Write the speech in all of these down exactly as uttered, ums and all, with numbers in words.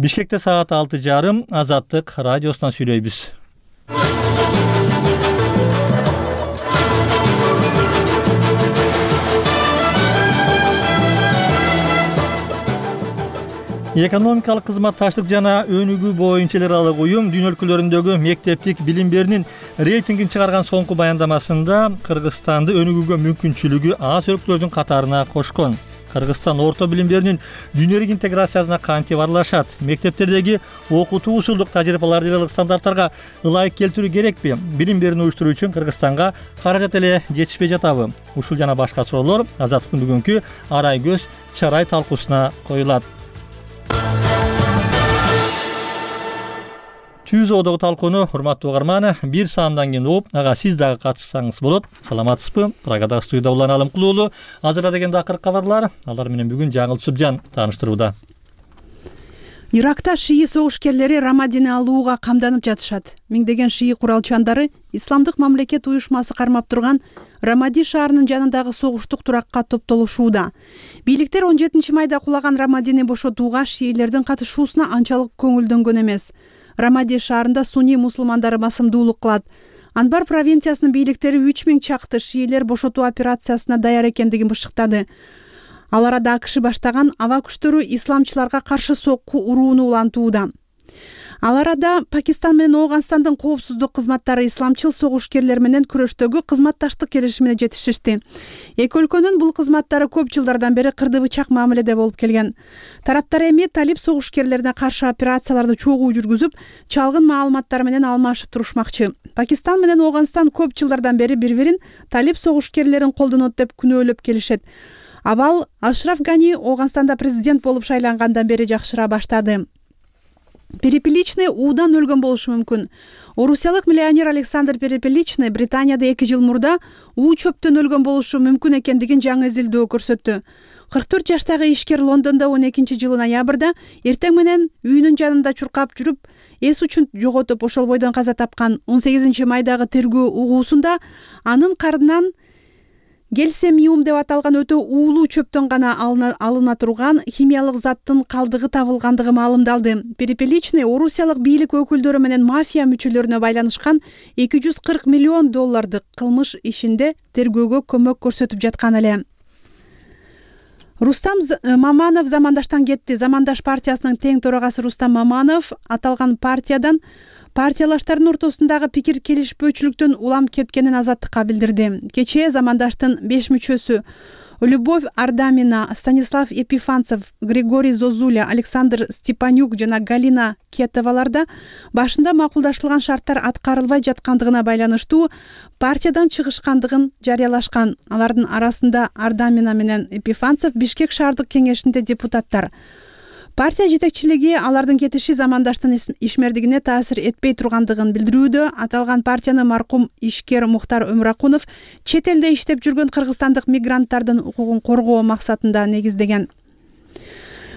Бишкекте саат алты жарым Азаттык радиосунан сүйлөйбүз. Экономикалык кызматташтык жана өнүгүү боюнча эл аралык уюм дүйнө өлкөлөрүндөгү мектептик билим берүүнүн рейтингин чыгарган соңку баяндамасында Кыргызстанды өнүгүүгө мүмкүнчүлүгү аз өлкөлөрдүн катарына кошкон. Кыргызстан орто билим берүүнүн дүйнөлүк интеграциясына кантип аралашат? Мектептердеги окутуу усулдук тажрыйбаларды эл аралык стандарттарга ылайык келтирүү керекпи? Билим берүүнү уюштуруу үчүн Кыргызстанга каражат эле жетишпей жатабы? Ушул жана башка суроолор Азаттыктын бүгүнкү Арай көз чарай талкуусуна коюлат. Түз одогу талкууну урматтуу угарман бир саамдан кийин угуп, ага сиз дагы катышсаңыз болот. Саламатсызбы? Прагадагы студияда Улан Алымкулуулу. Азырда деген акыркы кабарлар. Алар менен бүгүн Жаңыл Түсүпжан тааныштырууда. Иракта шии согушкерлери Рамадини алууга камданып жатышат. Миңдеген шии куралчандары Исламдык мамлекет уюшмасы кармап турган Рамади шаарынын жанындагы согуштук туракка топтолушууда. Бийликтер он жетинчи майда кулаган Рамадини бошотууга шиилердин катышуусуна анчалык көңүлдөнгөн эмес. Рамади шаарында сунни мусулмандары басымдуулук кылат. Анбар провинциясынын бийликтери үч миң чакты шиилер бошотуу операциясына даяр экендигин бышыктады. Ал арада АКШ баштаган аба күчтөрү исламчыларга каршы сокку урууну улантууда. Ал арада Пакистан менен Ооганстандын коопсуздук кызматтары исламчыл согушкерлер менен күрөштөгү кызматташтык келишимине жетишишти. Эки өлкөнүн бул кызматтары көп жылдардан бери кырды бычак мамиледе болуп келген. Тараптар эми талип согушкерлерине каршы операцияларды чогуу жүргүзүп, чалгын маалыматтар менен алмашып турушмакчы. Пакистан менен Ооганстан көп жылдардан бери бири-бирин талип согушкерлерин колдонот деп күнөөлөп келишет. Абал Ашраф Гани Ооганстанда президент болуп шайлангандан бери жакшыра баштады. Перепеличный уудан өлгөн болушу мүмкүн. Орусиялык миллионер Александр Перепеличный Британияда эки жыл мурда уу чөптөн өлгөн болушу мүмкүн экендигин жаңы изилдөө көрсөттү. кырк төрт жаштагы ишкер Лондондо он экинчи жылы ноябрда эртең менен үйүнүн жанында чуркап жүрүп, эс учун жоготуп ошол бойдон каза тапкан. он сегизинчи майдагы тергөө угуусунда анын карнынан гельсемиум деп аталган өтө уулуу чөптөн гана алына, алына турган химиялык заттын калдыгы табылгандыгы маалымдалды. Перепеличный Орусиялык бийлик өкүлдөрү менен мафия мүчөлөрүнө байланышкан эки жүз кырк миллион доллардык кылмыш ишинде тергөөгө көмөк көрсөтүп жаткан эле. Рустам Маманов замандаштан кетти. Замандаш партиясынын тең төрагасы Рустам Маманов аталган партиядан партиялаштардын ортосундагы пикир келишпөөчүлүктөн улам кеткенин Азаттыкка билдирди. Кечээ замандаштын беш мүчөсү Любовь Ардамина, Станислав Епифанцев, Григорий Зозуля, Александр Степанюк жана Галина Кетоваларда башында макулдашылган шарттар аткарылбай жаткандыгына байланыштуу партиядан чыгышкандыгын жарыялашкан. Алардын арасында Ардамина менен Епифанцев Бишкек шаардык кеңешинде депутаттар. Партия жетекчилиги алардын кетиши замандаштын ишмердигине таасир этпей тургандыгын билдирүүдө. Аталган партияны маркум ишкер Мухтар Өмракунов чет элде иштеп жүргөн кыргызстандык мигранттардын укугун коргоо максатында негиздеген.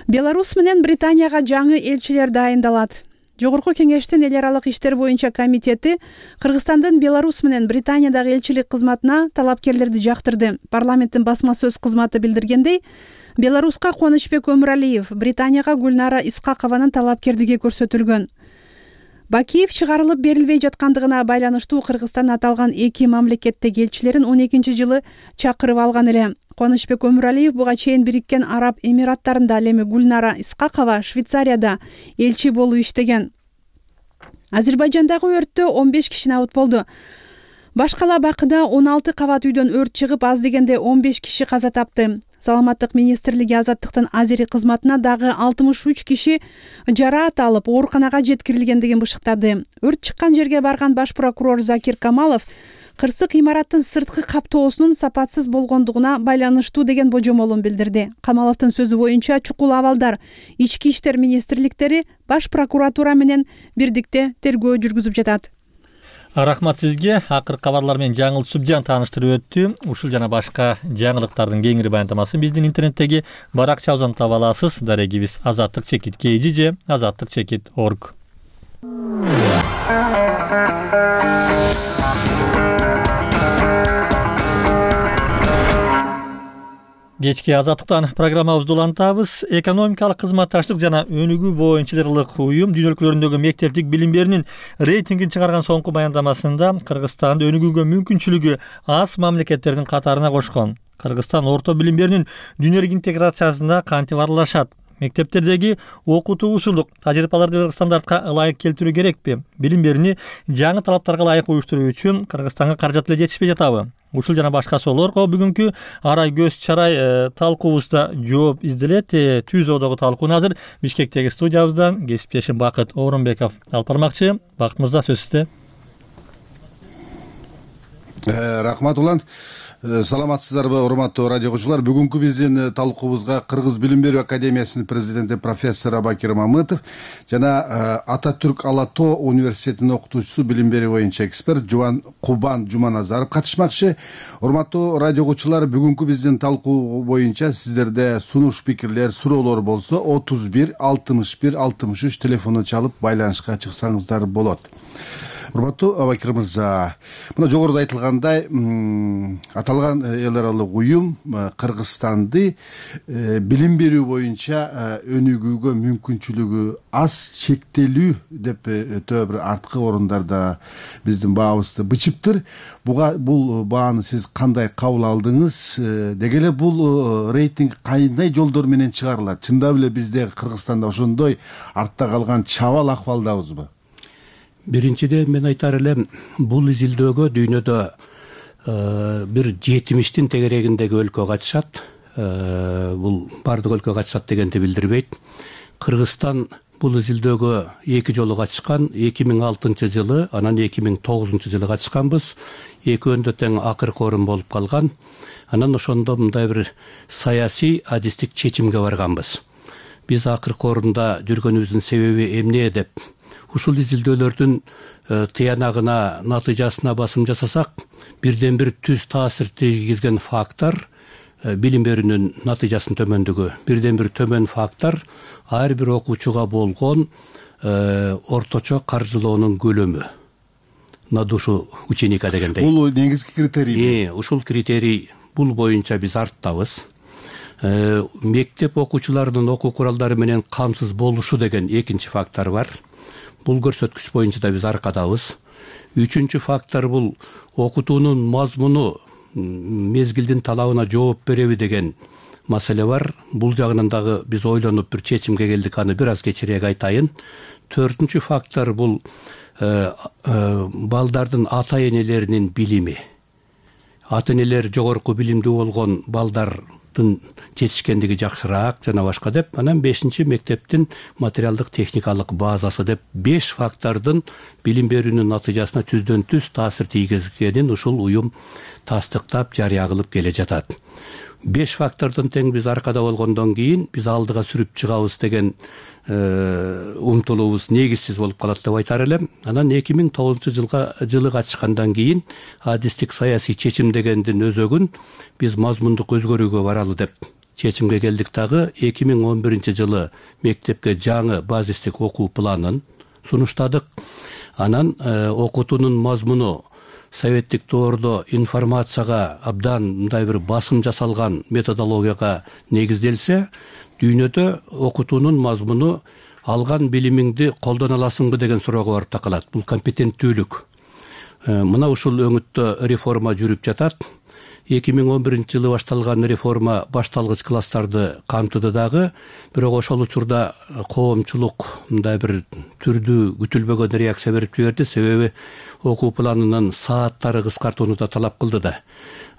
Беларусь менен Британияга жаңы элчилер дайындалат. Жогорку кеңештин эл аралык иштер боюнча комитети Кыргызстандын Беларусь менен Британиядагы элчилик кызматына талапкерлерди жактырды. Парламенттин басма сөз кызматы билдиргендей, Беларуска Кубанычбек Өмүралиев, Британияга Гүлнара Исқақованын талапкердиги көрсөтүлгөн. Бакиев чыгарылып берилбей жаткандыгына байланыштуу Кыргызстан аталган эки мамлекеттеги элчилерин он экинчи жылы чакырып алган эле. Кубанычбек Өмүралиев буга чейин Бириккен Араб Эмираттарында, ал эми Гүлнара Исқақова Швейцарияда элчи болуп иштеген. Азербайжандагы өрттө он беш киши набыт болду. Башкала Бакыда он алты кабат үйдөн өрт чыгып, аз дегенде он беш киши каза тапты. Саламаттык министрлиги Азаттыктын Азери кызматына дагы алтымыш үч киши жараат алып, ооруканага жеткирилгендигин бышыктады. Өрт чыккан жерге барган баш прокурор Закир Камалов кырсык имараттын сырткы каптоосунун сапатсыз болгондугуна байланыштуу деген божомолун билдирди. Камаловдун сөзү боюнча чукул абалдар ички иштер министрликтери баш прокуратура менен бирдикте тергөө жүргүзүп жатат. Рахмат сизге. Акыркы кабарлар менен Жаңыл Түсүпжан тааныштырып өттү. Ушул жана башка жаңылыктардын кеңири баяндамасын биздин интернеттеги баракчабыздан таба аласыз. Дарегибиз азаттык чекит kg же азаттык чекит точка орг. Кечки Азаттыктан программабызды улантабыз. Экономикалык кызматташтык жана өнүгүү боюнчалык уюм дүйнө өлкөлөрүндөгү мектептик билим берүүнүн рейтингин чыгарган соңку баяндамасында Кыргызстанды өнүгүүгө мүмкүнчүлүгү аз мамлекеттердин катарына кошкон. Кыргызстан орто билим берүүнүн дүйнөлүк интеграциясына кантип аралашат? Мектептердеги окутуу усулдук тажрыйбаларды стандартка ылайык келтирүү керекпи? Билим берүүнү жаңы талаптарга ылайык уюштуруу үчүн Кыргызстанга каражат эле жетишпей жатабы? Ушул жана башка суроолорго бүгүнкү арай көз чарай талкуубузда жооп изделет. Түз одогу талкууну азыр Бишкектеги студиябыздан кесиптешим Бакыт Орунбеков алып бармакчы. Бакыт мырза, сөз сизде. Рахмат улан. Саламатсыздарбы, урматтуу радио окуучулар. Бүгүнкү биздин талкуубузга Кыргыз билим берүү академиясынын президенти профессор Абакир Мамытов жана Ататүрк Ала Тоо университетинин окутуучусу, билим берүү боюнча эксперт Жубан Кубан Жуманазаров катышмакчы. Урматтуу радио окуучулар, бүгүнкү биздин талкуу боюнча сиздерде сунуш, пикирлер, суроолор болсо отуз бир алтымыш бир алтымыш үч телефону чалып байланышка чыксаңыздар болот. Урматтуу Абакир мырза, мына жогоруда айтылгандай, аталган эл аралык уюм Кыргызстанды билим берүү боюнча өнүгүүгө мүмкүнчүлүгү аз, чектелүү деп өтө бир арткы орундарда биздин баабызды бычыптыр. Буга бул бааны сиз кандай кабыл алдыңыз? Деги эле бул рейтинг кандай жолдор менен чыгарылат? Чындап эле бизде Кыргызстанда ошондой артта калган чабал акыбалдабызбы? Биринчиден мен айтар элем, бул изилдөөгө дүйнөдө бир жетимиштин тегерегиндеги өлкө катышат. Бул бардык өлкө катышат дегенди билдирбейт. Кыргызстан бул изилдөөгө эки жолу катышкан. эки миң алтынчы жылы, анан эки миң тогузунчу жылы катышканбыз. Экөөндө тең акыркы орун болуп калган. Анан ошондо мындай бир саясий адистик чечимге барганбыз. Биз акыркы орунда жүргөнүбүздүн себеби эмне деп ушул изилдөөлөрдүн тыянагына, натыйжасына басым жасасак, бирден бир түз таасир тийгизген фактор билим берүүнүн натыйжасынын төмөндүгү. Бирден бир төмөн фактор ар бир окуучуга болгон орточо каржылоонун көлөмү. На душу ученика дегендей. Бул негизги критерий. Ушул критерий, бул боюнча биз арттабыз. Мектеп окуучуларынын окуу куралдары менен камсыз болушу деген экинчи фактор бар. Бул көрсөткүч боюнча да биз аркадабыз. Үчүнчү фактор бул окутуунун мазмуну мезгилдин талабына жооп береби деген маселе бар. Бул жагынан дагы биз ойлонуп бир чечимге келдик, аны бир аз кечирээк айтайын. Төртүнчү фактор бул балдардын ата энелеринин билими. Ата энелер жогорку билимдүү болгон балдардын жетишкендиги жакшыраак жана башка деп. Анан бешинчи мектептин материалдык техникалык базасы деп беш фактордун билим берүүнүн натыйжасына түздөн түз таасир тийгизгенин ушул уюм тастыктап жарыя кылып келе жатат. Беш фактордон тең биз аркада болгондон кийин биз алдыга сүрүп чыгабыз деген умтулуубуз негизсиз болуп калат деп айтар элем. Анан эки миң тогузунчу жылга жылы катышкандан кийин адистик саясий чечим дегендин өзөгүн биз мазмундук өзгөрүүгө баралы деп чечимге келдик. Дагы эки миң он биринчи жылы мектепке жаңы базистик окуу планын сунуштадык. Анан окутуунун мазмуну советтик доордо информацияга абдан мындай бир басым жасалган методологияга негизделсе, дүйнөдө окутуунун мазмуну алган билимиңди колдоно аласыңбы деген суроого барып такалат. Бул компетенттүүлүк. Мына ушул өңүттө реформа жүрүп жатат. эки миң он биринчи жылы башталган реформа башталгыч класстарды камтыды дагы, бирок ошол учурда коомчулук мындай бир түрдүү күтүлбөгөн реакция берип жиберди. Себеби окуу планынын сааттары кыскартууну да талап кылды да.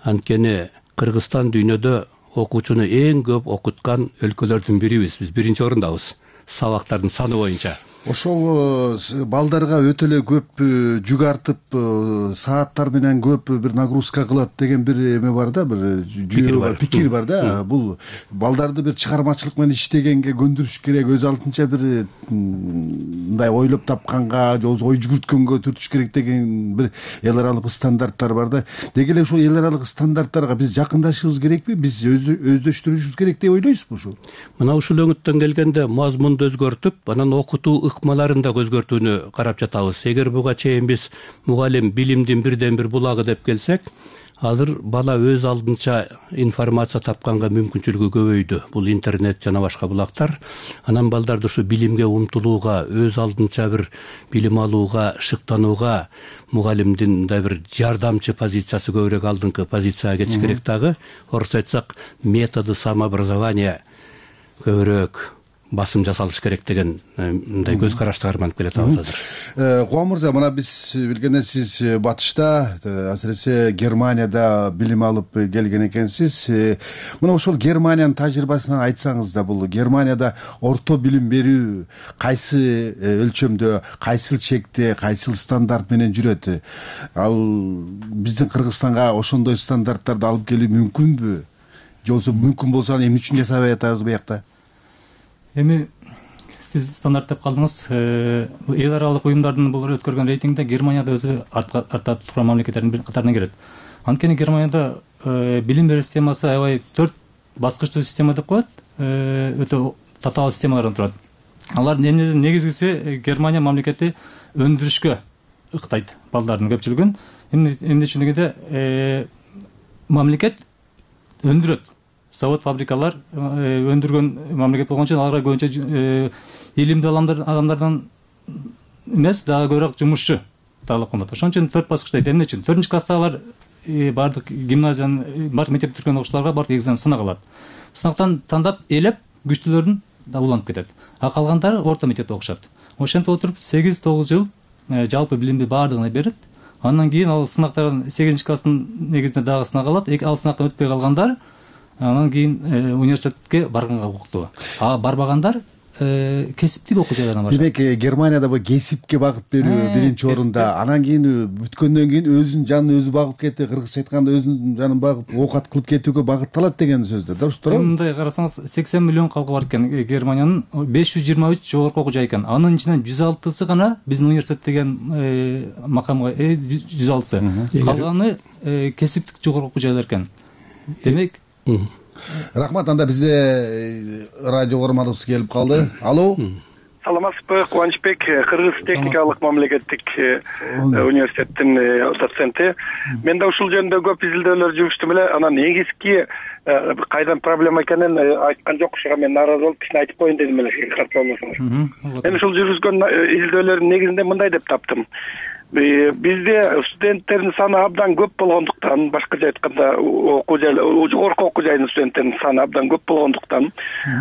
Анткени Кыргызстан дүйнөдө окуучуну эң көп окуткан өлкөлөрдүн бирибиз. Биз биринчи орундабыз сабактардын саны боюнча. Ошол балдарга өтө эле көп жүк артып, сааттар менен көп бир нагрузка кылат деген бир эме бар да, бир пикир бар да. Бул балдарды бир чыгармачылык менен иштегенге көндүрүш керек, өз алдынча бир мындай ойлоп тапканга, ой жүгүрткөнгө түртүш керек деген бир эл аралык стандарттар бар да. Деги эле ушул эл аралык стандарттарга биз жакындашыбыз керекпи? Биз өздөштүрүшүбүз керек деп ойлойсузбу ушул? Мына ушул өңүттөн келгенде мазмунду өзгөртүп, анан окутуу ыкмаларын да өзгөртүүнү карап жатабыз. Эгер буга чейин биз мугалим билимдин бирден бир булагы деп келсек, азыр бала өз алдынча информация тапканга мүмкүнчүлүгү көбөйдү. Бул интернет жана башка булактар. Анан балдарды ушу билимге умтулууга, өз алдынча бир билим алууга, шыктанууга мугалимдин мындай бир жардамчы позициясы көбүрөөк алдыңкы позицияга кетиш керек дагы. Орусча айтсак, методы самообразования көбүрөөк басым жасалыш керек деген мындай көз карашты карманып келатабыз азыр. Кубан мырза, мына биз билгенден сиз батышта, асыресе Германияда билим алып келген экенсиз. Мына ошол Германиянын тажрыйбасынан айтсаңыз да, бул Германияда орто билим берүү кайсы өлчөмдө, кайсыл чекте, кайсыл стандарт менен жүрөт? Ал биздин Кыргызстанга ошондой стандарттарды алып келүү мүмкүнбү? Же болбосо мүмкүн болсо эмне үчүн жасабай атабыз буякта? Эми сиз стандарт деп калдыңыз. Эл аралык уюмдардын бул өткөргөн рейтингде Германияда өзү артта турган мамлекеттердин катарына кирет. Анткени Германияда билим берүү системасы аябай төрт баскычтуу система деп коет. Өтө татаал системалардан турат. Алар негизгиси Германия мамлекети өндүрүшкө ыктайт балдардын көпчүлүгүн. Эмне үчүн дегенде мамлекет өндүрөт. Завод, фабрикалар өндүргөн мамлекет болгон үчүн аларга көбүнчө илимдүү адамдардан эмес, дагы көбүрөөк жумушчу талап кылынат. Ошон үчүн төрт баскычтайт. Эмне үчүн? төртүнчү класстагылар бардык гимназиянын, бардык мектепти бүтүргөн окуучуларга бардык экзамен сынак алат. Сынактан тандап элеп күчтүүлөрүн да уланып кетет. А калгандары орто мектепте окушат. Ошентип отуруп сегиз тогуз жыл жалпы билимди баардыгына берет. Андан кийин ал сынактардан сегизинчи класстын негизинде дагы сынак алат. Ал сынактан өтпөй калгандар анан кийин университетке барганга укуктуу. А барбагандар кесиптик окуу жайларына барышат. Демек, Германияда бу кесипке багып берүү биринчи орунда. Анан кийин бүткөндөн кийин өзүнүн жанын өзү багып кетти, кыргызча айтканда өзүнүн жанын багып оокат кылып кетүүгө багытталат деген сөздөр. Дурус туурабы? Мындай карасаңыз, сексен миллион калкы бар экен Германиянын, беш жүз жыйырма үч жогорку окуу жай экен. Анын ичинен жүз алтысы гана биздин университет деген макамга жүз алтысы. Калганы кесиптик жогорку окуу жайлар экен. Демек, Рахмат, анда бизде радио көрмөдүбүз келип калды. Алло. Саламатсызбы, Кубанычбек, Кыргыз техникалык мамлекеттик университеттин доценти. Мен да ушул жөнүндө көп изилдөөлөр жүргүздүм эле. Анан негизги кайдан проблема экенин айткан жок, ушуга мен нааразы болуп кичине айтып коеюн дедим эле, катты болмосоңуз. Мен ушул жүргүзгөн изилдөөлөрдүн негизинде мындай деп таптым. Бизде студенттердин саны абдан көп болгондуктан, башкача айтканда окуу жай, жогорку окуу жайдын студенттеринин саны абдан көп болгондуктан,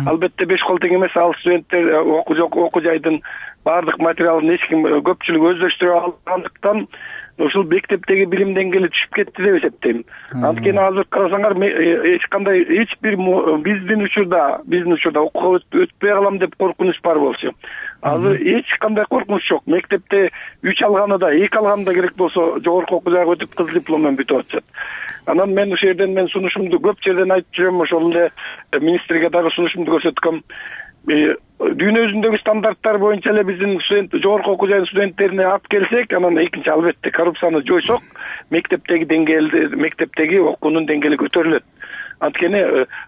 албетте беш кол тең эмес, ал студенттер окуу жайдын баардык материалын эч ким көпчүлүк өздөштүрө алгандыктан ушул мектептеги билим деңгээли түшүп кетти деп эсептейм. Анткени азыр карасаңар, эч кандай эч бир биздин учурда, биздин учурда окууга өтпөй калам деп коркунуч бар болчу. Азыр эч кандай коркунуч жок. Мектепте үч алганы да, эки алганы да керек болсо жогорку окуу жайга өтүп кызыл диплом менен бүтүп атышат. Анан мен ошол жерден мен сунушумду көп жерден айтып жүрөм, ошол эле министрге дагы сунушумду көрсөткөм. Дүйнө жүзүндөгү стандарттар боюнча эле биздин студент жогорку окуу жайдын студенттерине алып келсек, анан экинчи албетте коррупцияны жойсок, мектептеги деңгээлди, мектептеги окуунун деңгээли көтөрүлөт. Анткени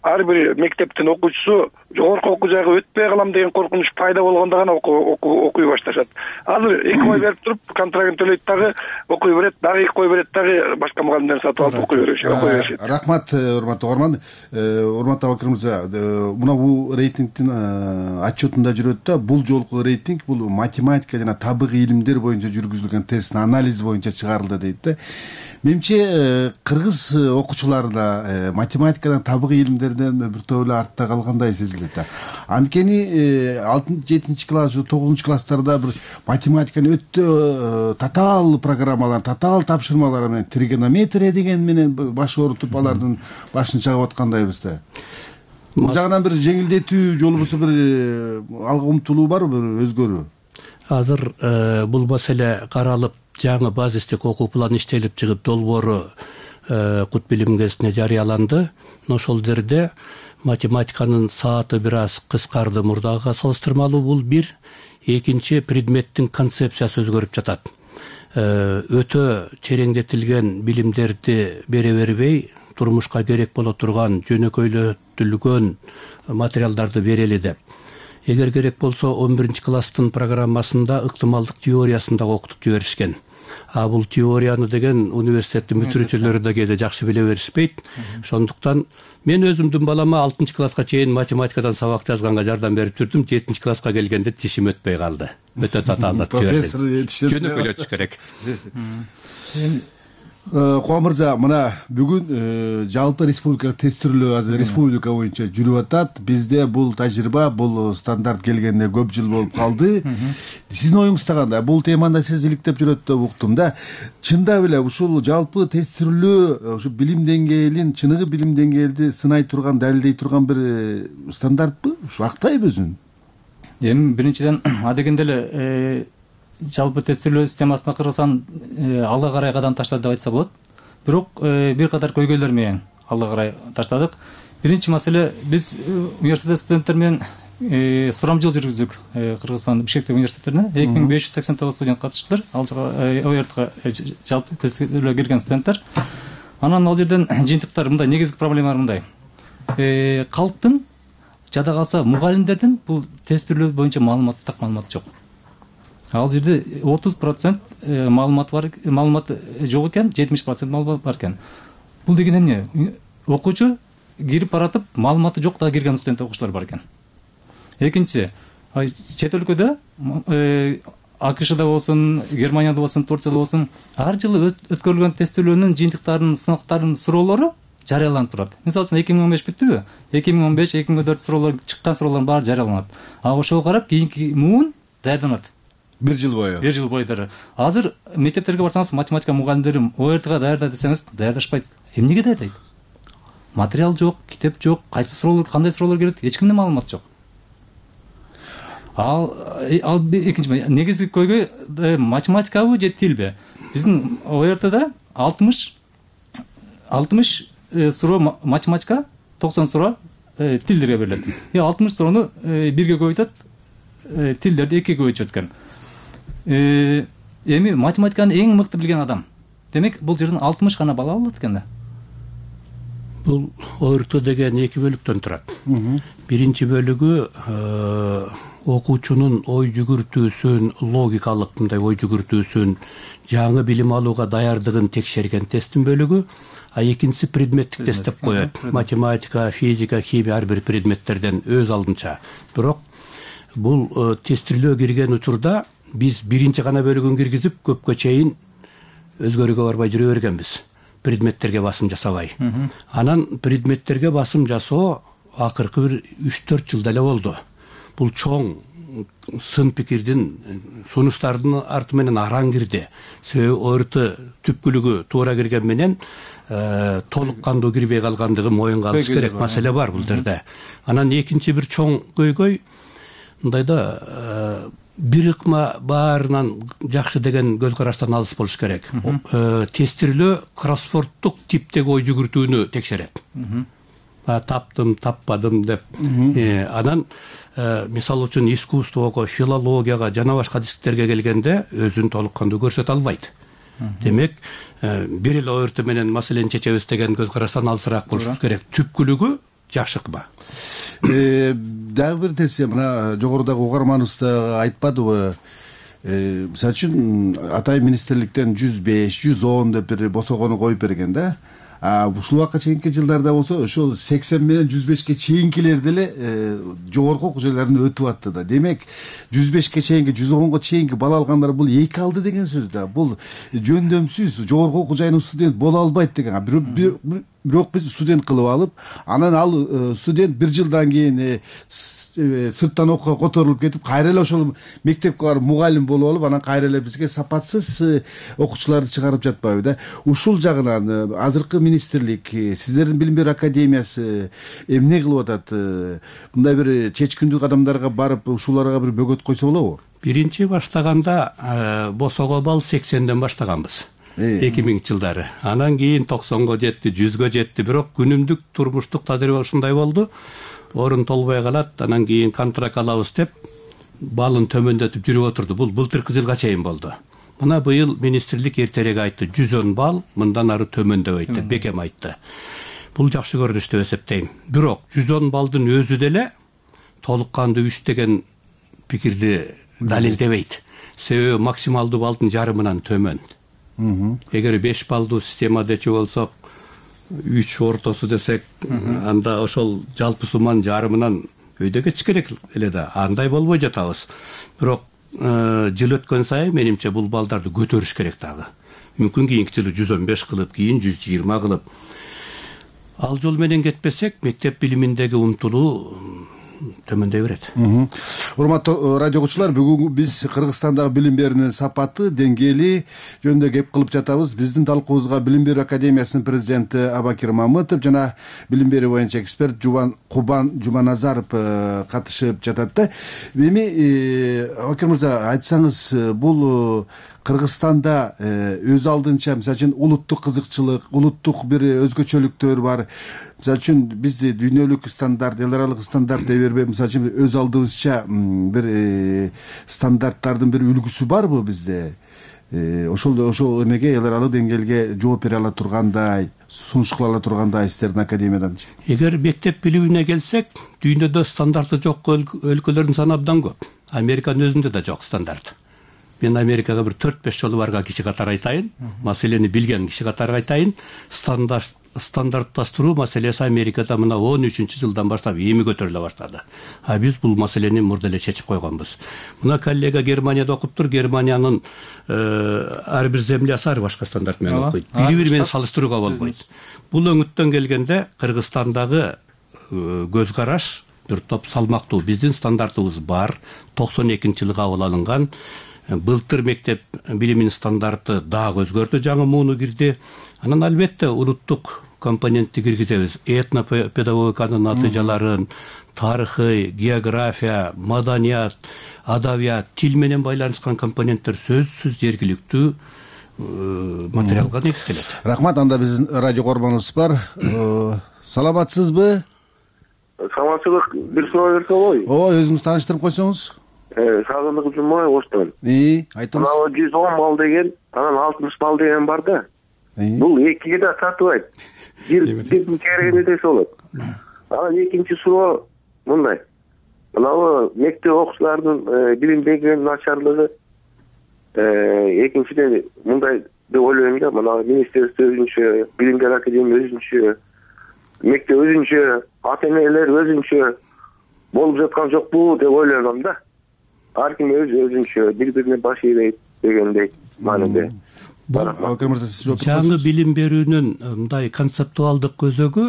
ар бир мектептин окуучусу жогорку окуу жайга өтпөй калам деген коркунуч пайда болгондо гана окуй башташат. Азыр эки ой берип туруп, контрагын төлөйт дагы окуй берет, дагы эки ой берет, дагы башка мугалимдерди сатып алып окуй беришет. Рахмат, урматтуу угарман. Урматтуу Абакир мырза, мына бул рейтингдин отчетунда жүрөт да, бул жолку рейтинг бул математика жана табигый илимдер боюнча жүргүзүлгөн тесттин анализи боюнча чыгарылды дейт да. Менимче кыргыз окуучулары да математикадан, табигый илимдерден бир топ эле артта калгандай сезилет да. Анткени алтынчы, жетинчи класс, тогузунчу класстарда бир математиканы өтө татаал программалар, татаал тапшырмалар менен тригонометрия деген менен баш оорутуп алардын башын чагып аткандайбыз да. Бул жагынан бир жеңилдетүү же болбосо бир алга умтулуу барбы, бир өзгөрүү? Азыр бул маселе каралып, жаңы базистик окуу планы иштелип чыгып, долбоору Кут билим гезитине жарыяланды. Ошол жерде математиканын сааты бир аз кыскарды мурдагыга салыштырмалуу, бул бир. Экинчи, предметтин концепциясы өзгөрүп жатат. Өтө тереңдетилген билимдерди бере бербей, турмушка керек боло турган жөнөкөйлөтүлгөн материалдарды берели деп. Эгер керек болсо он биринчи класстын программасында ыктымалдык теориясын да окутуп жиберишкен. а бул теорияны деген университеттин бүтүрүүчүлөрү да кээде жакшы биле беришпейт. Ошондуктан мен өзүмдүн балама алтынчы класска чейин математикадан сабак жазганга жардам берип жүрдүм. жетинчи класска келгенде тишим өтпөй калды. Өтө татаалатып жибердим. Профессор жетишет. Жөнөкөйлөтүш керек. Кубан мырза, мына бүгүн жалпы республикалык тестирлөө азыр республика боюнча жүрүп атат. Бизде бул тажрыйба, бул стандарт келгенине көп жыл болуп калды. Сиздин оюңузда кандай? Бул темада сиз иликтеп жүрөт деп уктум да. Чындап эле ушул жалпы тестирлөө ушу билим деңгээлин, чыныгы билим деңгээлди сынай турган, далилдей турган бир стандартпы? Ушу актайбы өзүн? Эми биринчиден адегенде эле жалпы тестирлөө системасына Кыргызстан алга карай кадам таштады деп айтса болот. Бирок бир катар көйгөйлөр менен алга карай таштадык. Биринчи маселе, биз университет студенттер менен сурамжыл жүргүздүк Кыргызстан Бишкектеги университеттерине. эки миң беш жүз сексен тогуз студент катыштылар. Ал о эр тга жалпы тестирлөө кирген студенттер. Анан ал жерден жыйынтыктар мындай, негизги проблемалар мындай. Калктын жада калса мугалимдердин бул тестирлөө боюнча маалымат, так маалымат жок. Ал жерде отуз процент маалымат бар, маалымат жок экен, жетимиш процент маалымат бар экен. Бул деген эмне? Окуучу кирип баратып, маалыматы жок да кирген студент окуучулар бар экен. Экинчи, чет өлкөдө АКШда болсун, Германияда болсун, Турцияда болсун, ар жылы өткөрүлгөн тестирлөөнүн жыйынтыктарын, сынактарын суроолору жарыяланып турат. Мисалы үчүн эки миң он беш бүттүбү? эки миң он беш эки миң он төрт суроолор чыккан суроолордун баары жарыяланат. А ошого карап кийинки муун даярданат. Бир жыл бою. Бир жыл бою. Азыр мектептерге барсаңыз, математика мугалимдери о эр тга даярда десеңиз, даярдашпайт. Эмнеге даярдайт? Материал жок, китеп жок, кайсы суроолор, кандай суроолор келет, эч кимде маалымат жок. Ал ал экинчи негизги көйгөй математикабы же тилби? Биздин о эр тда алтымыш алтымыш суроо математика, токсон суроо тилдерге берилет. И алтымыш суроону бирге көбөйтөт, тилдерди экиге көбөйтүшөт экен. Эми математиканы эң мыкты билген адам. Демек, бул жерден алтымыш гана бала алат экен да. Бул о эр тэ деген эки бөлүктөн турат. Биринчи бөлүгү окуучунун ой жүгүртүүсүн, логикалык мындай ой жүгүртүүсүн, жаңы билим алууга даярдыгын текшерген тесттин бөлүгү, а экинчиси предметтик тест деп коет. Математика, физика, химия ар бир предметтерден өз алдынча. Бирок бул тестирлөө кирген учурда биз биринчи гана бөлүгүн киргизип, көпкө чейин өзгөрүүгө барбай жүрө бергенбиз. Предметтерге басым жасабай. Анан предметтерге басым жасоо акыркы бир үч төрт жылда эле болду. Бул чоң сын пикирдин, сунуштардын арты менен араң кирди. Себеби о эр тэ түпкүлүгү туура кирген менен толук кандуу кирбей калгандыгы моюнга алыш керек. Маселе бар бул жерде. Анан экинчи бир чоң көйгөй мындайда бир ыкма баарынан жакшы деген көз караштан алыс болуш керек. Тестирлөө кроссвордтук типтеги ой жүгүртүүнү текшерет. Таптым, таппадым деп. Анан мисалы үчүн искусствого, филологияга жана башка дисциплинтерге келгенде өзүн толук кандуу көрсөтө албайт. Демек, бир эле о эр тэ менен маселени чечебиз деген көз караштан алысыраак болуш керек. Түпкүлүгү жакшы ыкма. Дагы бир нерсе, мына жогорудагы угарманыбыз да айтпадыбы? Мисалы үчүн атайын министрликтен жүз беш, жүз он деп бир босогону коюп берген да. Ушул убакка чейинки жылдарда болсо ошол сексен менен жүз бешке чейинкилер деле жогорку окуу жайларына өтүп атты да. Демек, жүз бешке чейинки, жүз онго чейинки бала алгандар бул эки алды деген сөз да. Бул жөндөмсүз жогорку окуу жайынын студент боло албайт деген. Бирок биз студент кылып алып, анан ал студент бир жылдан кийин сырттан окууга которулуп кетип, кайра эле ошол мектепке барып мугалим болуп алып, анан кайра эле бизге сапатсыз окуучуларды чыгарып жатпайбы да. Ушул жагынан азыркы министрлик, сиздердин билим берүү академиясы эмне кылып атат? Мындай бир чечкиндүү кадамдарга барып, ушуларга бир бөгөт койсо болобу? Биринчи баштаганда босого балл сексенден баштаганбыз. эки миңинчи жылдары. Анан кийин токсонго жетти, жүзгө жетти. Бирок күнүмдүк турмуштук тажрыйба ушундай болду. Орун толбой калат, анан кийин контракт алабыз деп балын төмөндөтүп жүрүп отурду. Бул былтыркы жылга чейин болду. Мына быйыл министрлик эртерээк айтты, жүз он балл мындан ары төмөндөбөйт деп бекем айтты. Бул жакшы көрүнүш деп эсептейм. Бирок жүз он балдын өзү деле толук кандуу үч деген пикирди далилдебейт. Себеби максималдуу балдын жарымынан төмөн. Эгер беш баллдуу система дечи болсок, үч ортосу десек, анда ошол жалпы сумманын жарымынан өйдө кетиш керек эле да. Андай болбой жатабыз. Бирок жыл өткөн сайын менимче бул балдарды көтөрүш керек дагы. Мүмкүн кийинки жылы жүз он беш кылып, кийин жүз жыйырма кылып. Ал жол менен кетпесек, мектеп билиминдеги умтулуу төмөндөй берет. Урматтуу радио угуучулар, бүгүн биз Кыргызстандагы билим берүүнүн сапаты, деңгээли жөнүндө кеп кылып жатабыз. Биздин талкуубузга Билим берүү академиясынын президенти Абакир Мамытов жана билим берүү боюнча эксперт Жубан Кубан Жуманазаров катышып жатат да. Эми Абакир мырза, айтсаңыз, бул Кыргызстанда өз алдынча, мисалы үчүн, улуттук кызыкчылык, улуттук бир өзгөчөлүктөр бар. Мисалы үчүн биз дүйнөлүк стандарт, эл аралык стандарт деп бербей, мисалы үчүн өз алдыбызча бир стандарттардын бир үлгүсү барбы бизде? Ошол ошол эмеге, эл аралык деңгээлге жооп бере ала тургандай, сунуш кыла ала тургандай сиздердин академиядан? Эгер мектеп билимине келсек, дүйнөдө стандарты жок өлкөлөрдүн саны абдан көп. Американын өзүндө да жок стандарт. Мен Америкага бир төрт беш жолу барган киши катары айтайын, маселени билген киши катары айтайын. Стандарт стандартташтыруу маселеси Америкада мына он үчүнчү жылдан баштап эми көтөрүлө баштады. А биз бул маселени мурда эле чечип койгонбуз. Мына коллега Германияда окуптур, Германиянын ар бир землясы ар башка стандарт менен окуйт. Бири-бири менен салыштырууга болбойт. Бул өңүттөн келгенде Кыргызстандагы көз караш бир топ салмактуу. Биздин стандартыбыз бар, токсон экинчи жылы кабыл алынган. Былтыр мектеп билиминин стандарты дагы өзгөрдү, жаңы мууну кирди. Анан албетте улуттук компонентти киргизебиз. Этнопедагогиканын натыйжаларын, тарыхый, география, маданият, адабият, тил менен байланышкан компоненттер сөзсүз жергиликтүү материалга негизделет. Рахмат. Анда биздин радио корбонубуз бар. Саламатсызбы? Саламатсыздык. Бир суроо берсе болобу? Ооба, өзүңүз тааныштырып койсоңуз. Сагындык Жумабай Оштон. И, айтыңыз. Мына жүз он балл деген, анан алтымыш балл деген бар да. Бул экиге да тартыбайт. Бир бирдин керегине десе болот. Анан экинчи суроо мындай. Мына мектеп окуучуларынын билимдеги начарлыгы экинчиден мындай деп ойлойм да. Мына министрликте өзүнчө, билим берүү академия өзүнчө, мектеп өзүнчө, ата-энелер өзүнчө болуп жаткан жокпу деп ойлойм да. Ар ким өз өзүнчө, бири-бирине баш ийбейт дегендей мааниде. Жаңы билим берүүнүн мындай концептуалдык көзөгү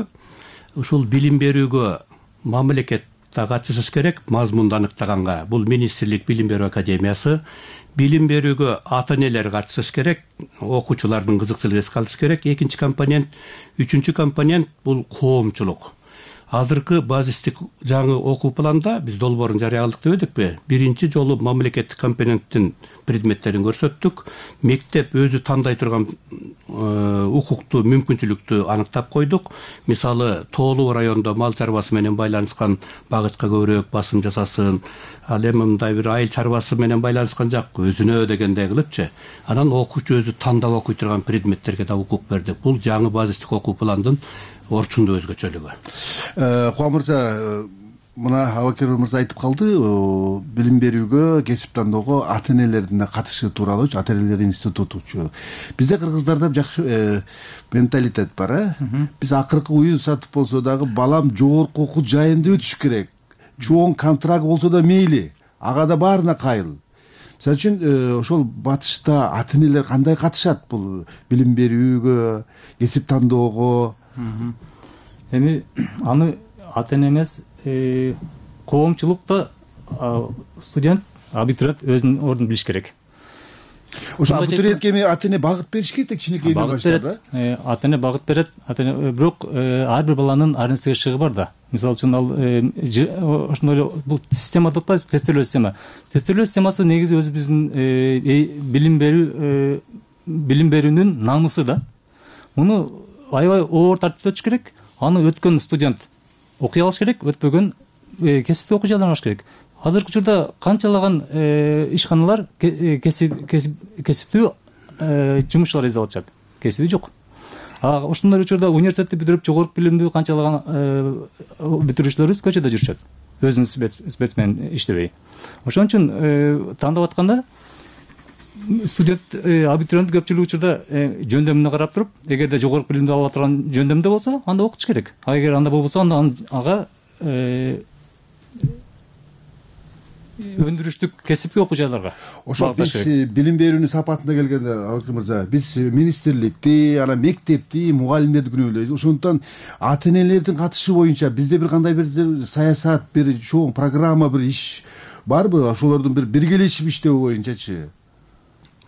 ушул билим берүүгө мамлекет да катышыш керек, мазмунду аныктаганга. Бул министрлик билим берүү академиясы. Билим берүүгө ата-энелер катышыш керек, окуучулардын кызыкчылыгы эске алыш керек. Экинчи компонент, үчүнчү компонент бул коомчулук. Азыркы базистик жаңы окуу планда биз долбоорун жарыяладык деп эдикпи? Биринчи жолу мамлекеттик компоненттин предметтерин көрсөттүк. Мектеп өзү тандай турган укуктуу мүмкүнчүлүктү аныктап койдук. Мисалы, тоолуу райондо мал чарбасы менен байланышкан багытка көбүрөөк басым жасасын. Ал эми мындай бир айыл чарбасы менен байланышкан жак өзүнө дегендей кылыпчы. Анан окуучу өзү тандап окуй турган предметтерге да укук бердик. Бул жаңы базистик окуу пландын орчундуу өзгөчөлүгү. Кубан мырза, мына Абакир мырза айтып калды, билим берүүгө, кесип тандоого ата-энелердин катышы тууралуу, ата-энелер институтучу. Бизде кыргыздарда жакшы менталитет бар, э? Биз акыркы уюн сатып болсо дагы балам жогорку окуу жайында өтүш керек. Чоң контракт болсо да мейли, ага да баарына кайыл. Мисалы үчүн ошол батышта ата-энелер кандай катышат бул билим берүүгө, кесип тандоого? Эми аны ата-эне эмес, коомчулукта студент, абитуриент өзүнүн ордун билиш керек. Ошо абитуриентке эми ата-эне багыт бериш керек, кичинекейинен баштап, да? Ата-эне багыт берет, ата-эне бирок ар бир баланын ар нерсеге шыгы бар да. Мисалы үчүн ал ошондой бул система деп атпайбыз, тестелөө система. Тестелөө системасы негизи өзү биздин билим берүү билим берүүнүн намысы да. Муну аябай оор тартипте өтүш керек. Аны өткөн студент окуй алыш керек, өтпөгөн кесипти окуй алыш керек. Азыркы учурда канчалаган ишканалар кесиптүү жумушчулар издеп атышат. Кесиби жок. А ошондой учурда университетти бүтүрүп жогорку билимдүү канчалаган бүтүрүүчүлөрүбүз көчөдө жүрүшөт. Өзүнүн спец менен иштебей. Ошон үчүн тандап атканда студент абитуриент көпчүлүк учурда жөндөмүнө карап туруп, эгерде жогорку билимди ала турган жөндөмдө болсо, анда окутуш керек. А эгер анда болбосо, анда ага өндүрүштүк кесипти окуу жайларга. Ошо биз билим берүүнүн сапатына келгенде, Абакир мырза, биз министрликти, анан мектепти, мугалимдерди күнөөлөйбүз. Ошондуктан ата-энелердин катышы боюнча бизде бир кандай бир саясат, бир чоң программа, бир иш барбы? Ошолордун бир биргелешип иштөө боюнчачы?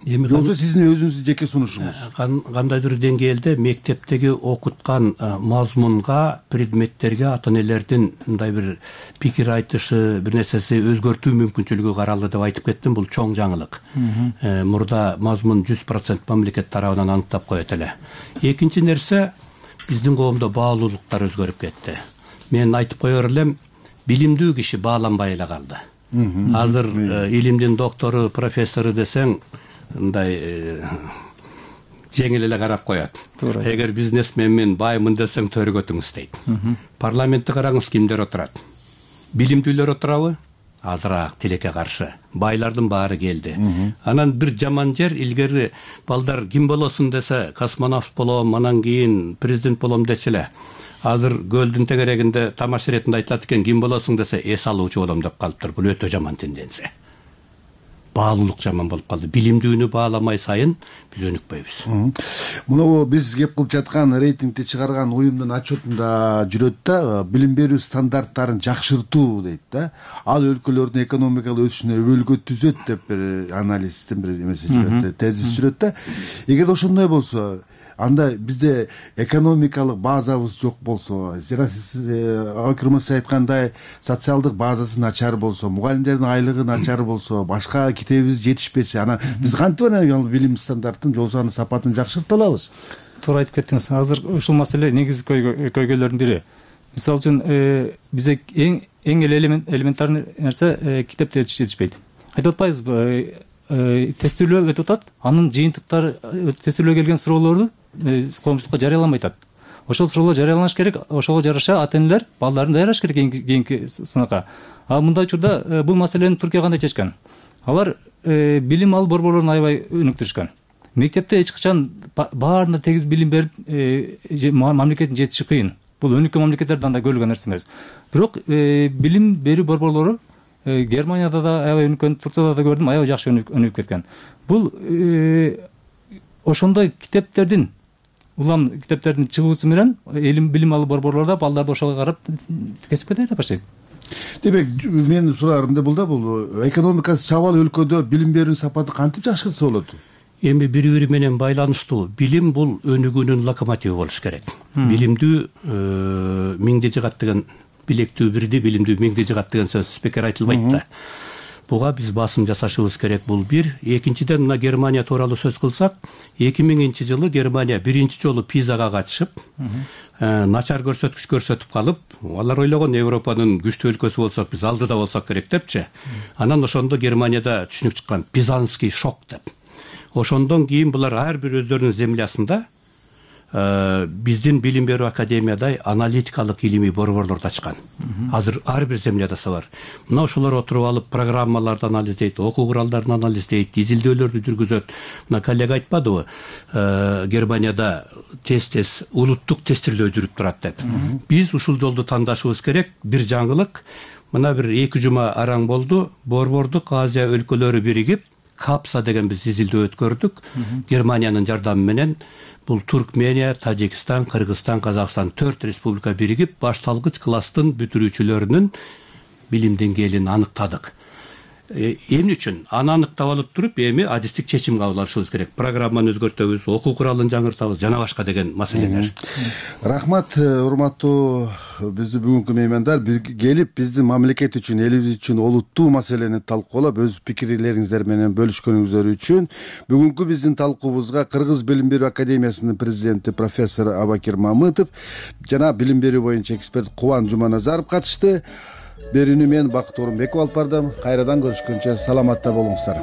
Эми болсо сиздин өзүңүздүн жеке сунушуңуз. Кандайдыр деңгээлде мектептеги окуткан мазмунга, предметтерге ата-энелердин мындай бир пикир айтышы, бир нерсеси өзгөртүү мүмкүнчүлүгү каралды деп айтып кеттим. Бул чоң жаңылык. Мурда мазмун жүз процент мамлекет тарабынан аныктап коет эле. Экинчи нерсе, биздин коомдо баалуулуктар өзгөрүп кетти. Мен айтып коер элем, билимдүү киши бааланбай эле калды. Азыр илимдин доктору, профессору десең, мындай жеңил эле карап коет. Эгер бизнесменмин, баймын десең төрөгөтүңүз дейт. Парламентти караңыз, кимдер отурат? Билимдүүлөр отурабы? Азыраак, тилекке каршы. Байлардын баары келди. Анан бир жаман жер, илгери балдар ким болосун десе, космонавт болом, анан кийин президент болом дечи эле. Азыр көлдүн тегерегинде тамаш иретинде айтылат экен, ким болосуң десе, эс алуучу болом деп калыптыр. Бул өтө жаман тенденция. Баалуулук жаман болуп калды. Билимдүүнү бааламай сайын биз өнүкпөйбүз. Мына биз кеп кылып жаткан рейтингди чыгарган уюмдун отчетунда жүрөт да, билим берүү стандарттарын жакшыртуу дейт да. Ал өлкөлөрдүн экономикалык өсүшүнө өбөлгө түзөт деп бир аналисттин бир эмеси жүрөт, тезис жүрөт да. Эгерде ошондой болсо, анда бизде экономикалык базабыз жок болсо, жана сиз Абакир мырза айткандай социалдык базасы начар болсо, мугалимдердин айлыгы начар болсо, башка китебибиз жетишпесе, анан биз кантип анан билим стандартын, жол саны сапатын жакшырта алабыз? Туура айтып кеттиңиз. Азыр ушул маселе негизги көйгөйлөрдүн бири. Мисалы үчүн бизде эң эң эле элементарный нерсе китепте жетишпейт. Айтып атпайбызбы? Тестирөө өтүп атат, анын жыйынтыктары, тестирөө келген суроолорду коомчулукка жарыяламай атат. Ошол суроолор жарыяланыш керек, ошого жараша ата-энелер балдарын даярдаш керек кийинки сынакка. А мындай учурда бул маселени Түркия кандай чечкен? Алар билим алуу борборлорун аябай өнүктүрүшкөн. Мектепте эч качан баарына тегиз билим берип, мамлекеттин жетиши кыйын. Бул өнүккөн мамлекеттерде андай көрүлгөн нерсе эмес. Бирок билим берүү борборлору Германияда да аябай өнүккөн, Турцияда да көрдүм, аябай жакшы өнүгүп кеткен. Бул ошондой китептердин, улам китептердин чыгуусу менен билим алуу борборлордо балдарды ошого карап кесипке даярдап баштайт. Демек, менин суроорум да бул да, бул экономикасы чабал өлкөдө билим берүүнүн сапаты кантип жакшыртса болот? Эми бири-бири менен байланыштуу. Билим бул өнүгүүнүн локомотиви болуш керек. Билимдүү миңди жыгат деген, билектүү бирди, билимдүү миңди жыгат деген сөз спикер айтылбайт да. Буга биз басым жасашыбыз керек, бул бир. Экинчиден, мына Германия тууралуу сөз кылсак, эки миңинчи жылы Германия биринчи жолу пизага катышып, начар көрсөткүч көрсөтүп калып, алар ойлогон Европанын күчтүү өлкөсү болсок, биз алдыда болсок керек депчи. Анан ошондо Германияда түшүнүк чыккан, пизанский шок деп. Ошондон кийин булар ар бир өздөрүнүн землясында биздин билим берүү академиядай аналитикалык илимий борборлорду ачкан. Азыр ар бир земляда бар. Мына ошолор отуруп алып программаларды анализдейт, окуу куралдарын анализдейт, изилдөөлөрдү жүргүзөт. Мына коллега айтпадыбы, Германияда тез-тез улуттук тестирлөө жүрүп турат деп. Биз ушул жолду тандашыбыз керек. Бир жаңылык, мына бир эки жума араң болду, Борбордук Азия өлкөлөрү биригип Капса деген биз изилдөө өткөрдүк. Германиянын жардамы менен бул Туркмения, Тажикстан, Кыргызстан, Казакстан төрт республика биригип башталгыч класстын бүтүрүүчүлөрүнүн билим деңгээлин аныктадык. Эмне үчүн? Аны аныктап алып туруп, эми адистик чечим кабыл алышыбыз керек. Программаны өзгөртөбүз, окуу куралын жаңыртабыз, жана башка деген маселелер. Рахмат, урматтуу биздин бүгүнкү меймандар, келип биздин мамлекет үчүн, элибиз үчүн олуттуу маселени талкуулап, өз пикирлериңиздер менен бөлүшкөнүңүздөр үчүн бүгүнкү биздин талкуубузга Кыргыз Билим берүү академиясынын президенти профессор Абакир Мамытов жана билим берүү боюнча эксперт Кубан Жуманазаров катышты. Берүүнү мен Бакыт Орунбеков алып бардым. Кайрадан көрүшкөнчө саламатта болуңуздар.